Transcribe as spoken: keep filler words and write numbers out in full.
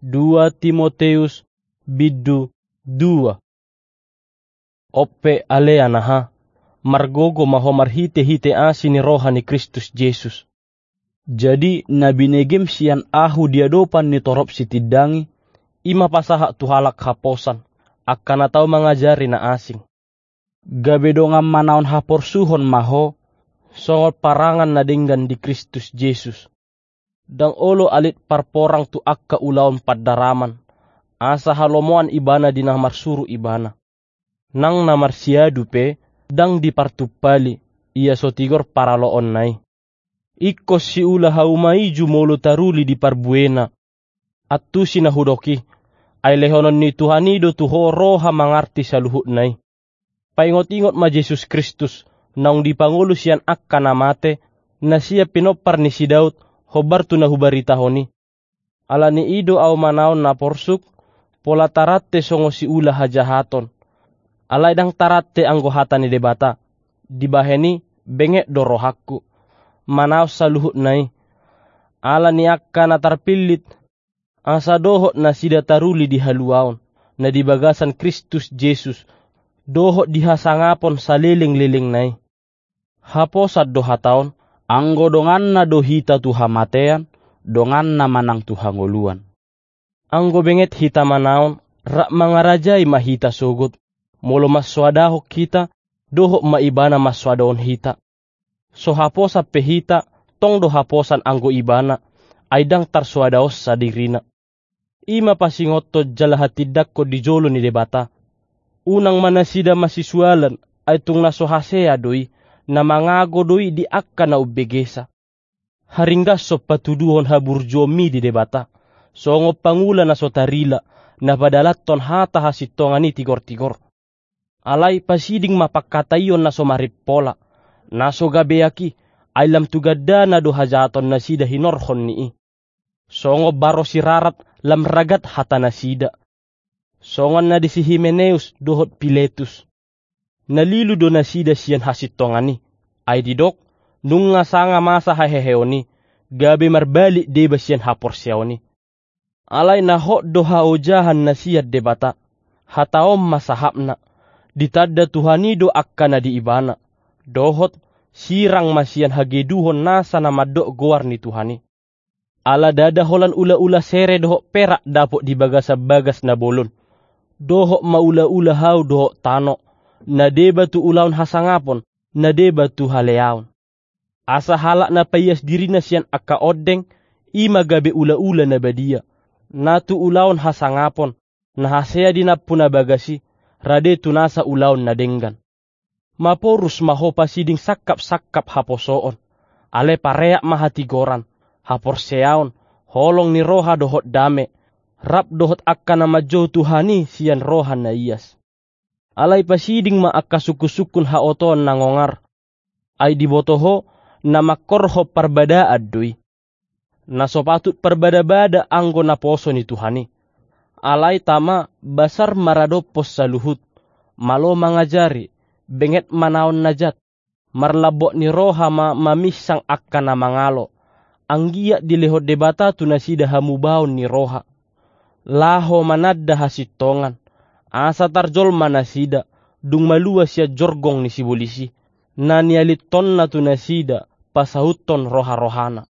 Dua Timoteus bindu dua. Ope ale anaha, margogo ma ho marhite-hite asi ni roha ni Kristus Jesus. Jadi na binegem sian ahu di adopan ni torop sitindangi, i ma pasahat tu halak haposan, angka na tau mangajari na asing. Gabe dongan manaon haporsuhon ma ho, songon parangan na denggan di Kristus Jesus. Ndang olo alit parporang tu angka ulaon pandaraman, asa halomoan ibana di na marsuru ibana. Nang na marsiadu pe, ndang dipartumpali, ia so tigor paraloonna i. Ingkon siula hauma i jumolo taruli di parbuena. Antusi na hudok i, ai lehonon ni Tuhan i do tu ho roha mangarti saluhutna i. Paingot-ingot ma Jesus Kristus, naung dipangolu sian angka na mate, na sian pinompar ni si Daud, hombar tu na hubaritahon i. Ala ni i do ahu manaon na porsuk, pola tarante songon siula hajahaton. Alai ndang tarante anggo hata ni Debata. Dibahen i, benget do rohangku. Manaon saluhutna i. Ala ni angka na tarpillit, asa dohot nasida taruli di haluaon, na di bagasan Kristus Jesus, dohot di hasangapon saleleng-lelengna i. Haposan do hata on, anggo donganna do hita tu hamatean, donganna ma nang tu hangoluan. Anggo benget hita manaon, rap mangarajai ma hita sogot, molo mansoadahon hita, dohot ma ibana mansoadahon hita. So haposan pe hita, tong do haposan anggo ibana, ai ndang tarsoadahonsa dirina. I ma pasingothon jala hatindangkon di jolo ni Debata. Unang ma nasida masisualan, ai tung na so hasea do i, na mangago do i di angka na umbegesa. Haringgashon patuduhon haburjuonmi di Debata, songon pangula na so tarila, na padalanhon hata hasintongan i tigor-tigor. Alai pasiding ma pangkataion na so marimpola, na so gabeak i, ai lam tu gandana do hajahaton nasida hinorhon ni i. Songon baro sirarat lam ragat hata nasida. Songon na di si Himeneus dohot Piletus. Na lilu do nasida sian hasintongan i, ai didok, nunga sanga masa haheheon i, gabe marbalik deba sian haporseaon i. Alai na hot do haojahan na sian Debata, hata on ma sahapna, ditanda Tuhan i do angka na di ibana, dohot, sirang ma sian hageduhon nasa na mandok goar ni Tuhan i. Ala ndada holan ula-ula sere dohot perak dapot di bagasan bagas na bolon, dohot ma ula-ula hau dohot tano, na deba tu ulaon hasangapon, na deba tu haleaon. Asa halak na paias dirina sian angka ondeng, i ma gabe ula-ula na badia, na tu ulaon hasangapon, na hasea di nampuna bagas i, rade tu nasa ulaon na denggan. Maporus ma ho pasiding sangkap-sangkap haposoon, ale pareak ma hatigoran, haporseaon, holong ni roha dohot dame, rap dohot angka na manjou Tuhan i sian roha na ias. Alai pasiding ma angka sungkun-sungkun haotoon na ngongar. Ai diboto ho, na mangkorhon parbadaan do i. Na so patut parbada-bada anggo naposo ni Tuhan i. Alai tama, basar maradophon saluhut, malo mangajari, benget manaon na jat, marlambok ni roha ma maminsang angka na mangalo, anggiat dilehon Debata tu nasida hamubaon ni roha. Laho mananda hasintongan, asa tarjolma nasida, dung malua sian jorgong ni sibolis i, na nialithonna tu nasida, pasauthon roha-rohana.